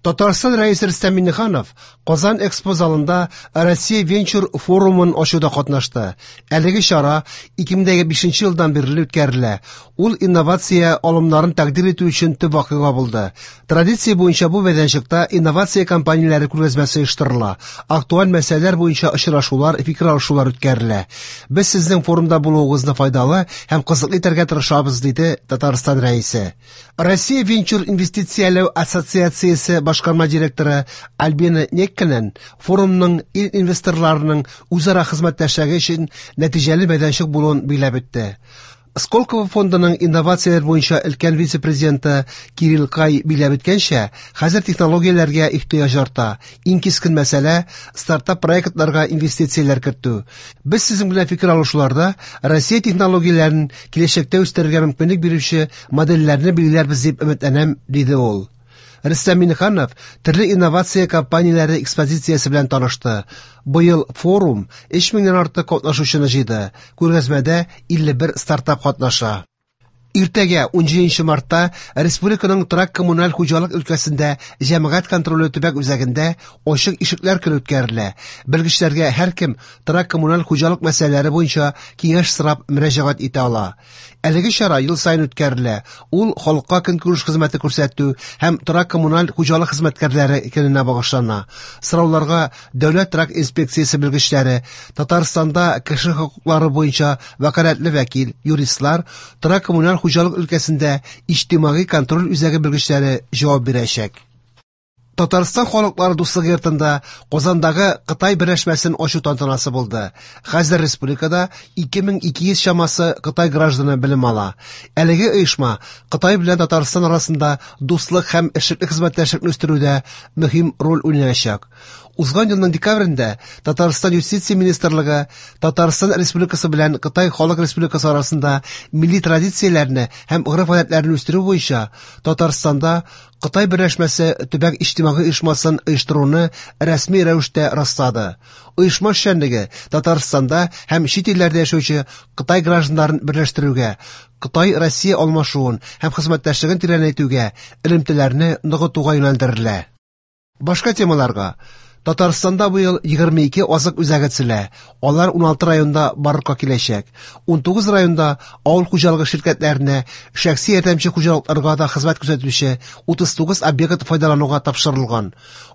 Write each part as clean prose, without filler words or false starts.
Татарстан Рәисе Рөстәм Миңнеханов Казан Экспо залында Россия венчур форумын ачуда катнашты. Әлеге чара 2005 елдан бирле үткәрелә. Ул инновация алымнарын тәкъдир итү өчен төп вакыйга булды. Традиция буенча бу мәйданчыкта инновация компанияләре күргәзмәсе оештырыла. Актуаль мәсьәләләр буенча очрашулар, фикер алышулар үткәрелә. Без сезнең форумда булуыгызны файдалы һәм кызыклы итәргә тырышабыз, диде Татарстан Рәисе. Россия венчур инвестицияләү ассоциациясе башкарма директоры Альбина Некканен форумның ил инвесторларының үзара хезмәттәшлеге өчен нәтиҗәле мәйданчык булуын билгеләп үтте. Сколково фондының инновацияләр буенча өлкән вице-президенты Кирилл Кай билгеләп үткәнчә, хәзер технологияләргә ихтыяҗ арта. Иң кискен мәсьәлә стартап проектларга инвестицияләр кертү. Без сезнең белән фикер алышуларда Россия технологияләрен киләчәктә үстерергә мөмкинлек бирүче модельләрне билгеләрбез дип өметләнәм, диде ул. Рөстәм Миңнеханов төрле инновация компанияләре экспозициясе белән танышты. Быел форум 3000 нән артык катнашучыны җыйды. Күргәзмәдә 51 стартап катнаша. Иртәгә 17 мартта республиканың торак-коммуналь хуҗалык өлкәсендә җәмәгать контроле төбәк үзәгендә ачык ишекләр көне үткәрелә. Белгечләргә һәркем торак-коммуналь хуҗалык мәсьәләләре буенча киңәш сорап мөрәҗәгать итә ала. Әлеге чара ел саен үткәрелә. Ул халыкка көнкүреш хезмәте күрсәтү һәм торак-коммуналь хуҗалык хезмәткәрләре көненә багышлана. Сорауларга Дәүләт торак инспекциясе белгечләре, Татарстанда кеше хокуклары буенча вәкаләтле вәкил, юристлар, торак-коммуналь хуҗалык өлкәсендә иҗтимагый контроль үзәге белгечләре җавап бирәчәк. Татарстан халыклары дуслыгы йортында Казандагы Кытай берләшмәсен ачу тантанасы булды. Хәзер республикада 2200 чамасы Кытай гражданы белем ала. Әлеге оешма Кытай белән Татарстан арасында дуслык һәм эшлекле хезмәттәшлекне үстерүдә мөһим роль уйнаячак. Узган елның декабрендә Татарстан Юстиция министрлыгы Татарстан Республикасы белән Кытай Халык Республикасы арасында милли традицияләрне һәм гореф-гадәтләрне үстерү буенча Татарстанда Кытай берләшмәсе төбәк иҗтимагый оешмасын оештыруны рәсми рәвештә раслады. Оешма эшчәнлеге Татарстанда һәм чит илләрдә яшәүче Кытай гражданнарын берләштерүгә, Кытай-Россия алмашуын һәм хезмәттәшлеген тирәнәйтүгә, элемтәләрне ныгытуга юнәлдерелә. Башка темаларга. Татарстанда быел 22 азык үзәге төзелә. Алар 16 районда барлыкка киләчәк. 19 районда авыл хуҗалыгы ширкәтләренә, шәхси ярдәмче хуҗалыкларга да хезмәт күрсәтүче 39 объект файдалануга тапшырылган.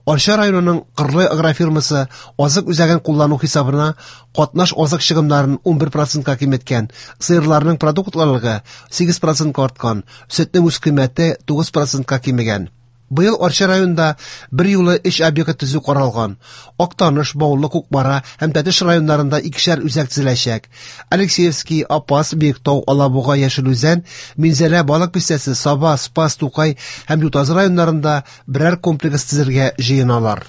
Арча районының Кырлай агрофирмасы азык үзәген куллану хисабына катнаш азык чыгымнарын 11%-ка киметкән, сыерларның продуктлылыгы 8%-ка арткан, сөтнең үзкыйммәте 9%-ка кимегән. Быел Арча районында бер юлы өч объект төзү каралган. Актаныш, Баулы, Кукмара һәм Тәтеш районнарында икешәр үзәк төзеләчәк. Алексеевский, Апас, Биектау, Алабуга, Яшел Үзән, Минзәлә, Балык Бистәсе, Саба, Спас, Тукай һәм Ютазы районнарында берәр комплекс төзергә җыеналар.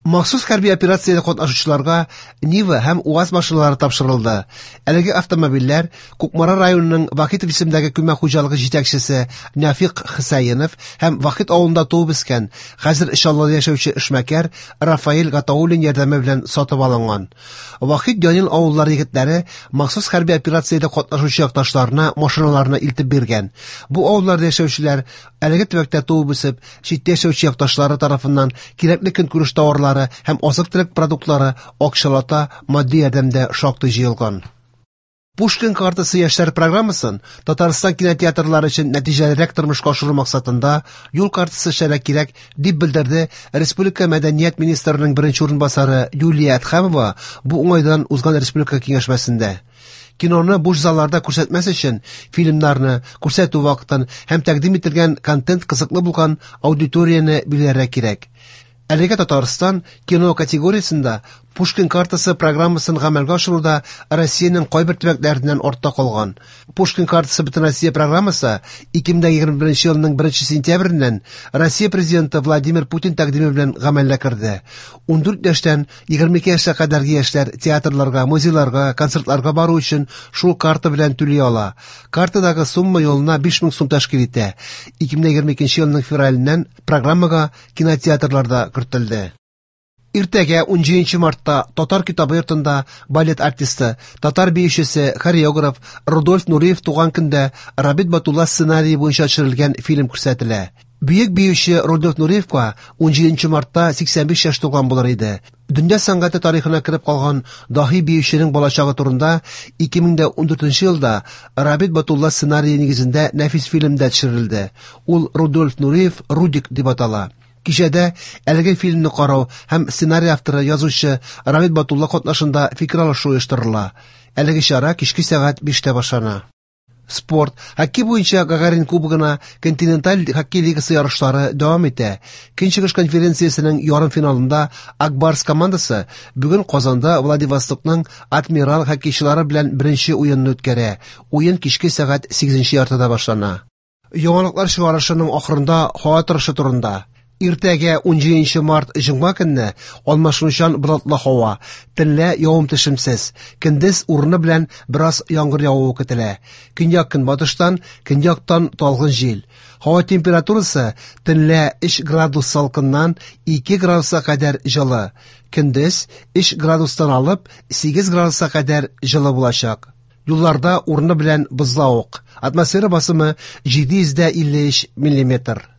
Махсус хәрби операциядә катнашучыларга Нива һәм УАЗ машиналары тапшырылды. Әлеге автомобильләр Кукмара районының Вахитов исемендәге күмәк хуҗалыгы җитәкчесе Нәфыйк Хөсәенов һәм Вахит авылында туып үскән, хәзер Чаллыда яшәүче эшмәкәр Рафаэль Гатауллин ярдәме белән сатып алынган. Вахит Янил авыллары егетләре махсус хәрби операциядә катнашучы якташларына машиналарны илтеп биргән. Бу авылларда яшәүчеләр әлеге төбәктә туып үсеп, читтә яшәүче якташлары тарафыннан кирәкле көнкүреш товарлары һәм азык-төлек продуктлары акчалата матди ярдәмдә шактый җыелган. Пушкин картасы яшьләр программасын Татарстан кинотеатрлары өчен нәтиҗәлерәк тормышка ашыру максатында юл картасы эшләргә кирәк, дип белдерде республика мәдәният министрының беренче урынбасары Юлия Әдһәмова бу уңайдан узган республика киңәшмәсендә. Киноны буш залларда күрсәтмәс өчен фильмнарны күрсәтү вакытын һәм тәкъдим ителгән контент кызыклы булган аудиторияне билгеләргә кирәк. Әлегә Татарстан кино категориясендә Пушкин картасы программасын гамәлгә ашыруда Россиянең кайбер төбәкләреннән артта калган. Пушкин картасы Бөтенроссия программасы 2021 елның 1 сентябреннән Россия Президенты Владимир Путин тәкъдиме белән гамәлгә керде. 14 яшьтән 22 яшькә кадәрге яшьләр театрларга, музейларга, концертларга бару өчен шул карта белән түли ала. Картадагы сумма елына 5000 сум тәшкил итә. 2022 елның февраленнән программага кинотеатрлар да кертелде. Иртәгә 17 мартта Татар китабы йортында балет артисты, татар биючесе, хореограф Рудольф Нуриев туган көндә Рабит Батулла сценарие буенча төшерелгән фильм күрсәтелә. Бөек биюче Рудольф Нуриевка 17 мартта 85 яшь тулган булыр иде. Дөнья сәнгате тарихына кереп калган даһи биюченең балачагы турында 2014 елда Рабит Батулла сценарие нигезендә нәфис фильм да төшерелде. Ул Рудольф Нуриев Рудик дип атала. Кичәдә әлеге фильмны карау һәм сценарий авторы язучы Рабит Батулла катнашында фикер алышу оештырыла. Әлеге чара кичке сәгать 5тә башлана. Спорт. Хоккей буенча Гагарин кубогына континенталь хоккей лигасы ярышлары дәвам итә. Көнчыгыш конференциясенең ярымфиналында Ак Барс командасы бүген Казанда Владивостокның Адмирал хоккейчылары белән беренче уенны үткәрә. Уен кичке сәгать 8:30 башлана. Яңалыклар чыгарышының ахырында һава торышы турында. Иртәгә 17 март җомга көнне алмашынучан болытлы һава, төнлә явым-төшемсез, көндез урыны белән бераз яңгыр явуы көтелә. Көньяк-көнбатыштан, көньяктан талгын җил. Һава температурасы төнлә 3 градус салкыннан 2 градуска кадәр җылы. Көндез 3 градустан алып 8 градуска кадәр җылы булачак. Юлларда урыны белән бозлавык. Атмосфера басымы 753 миллиметр.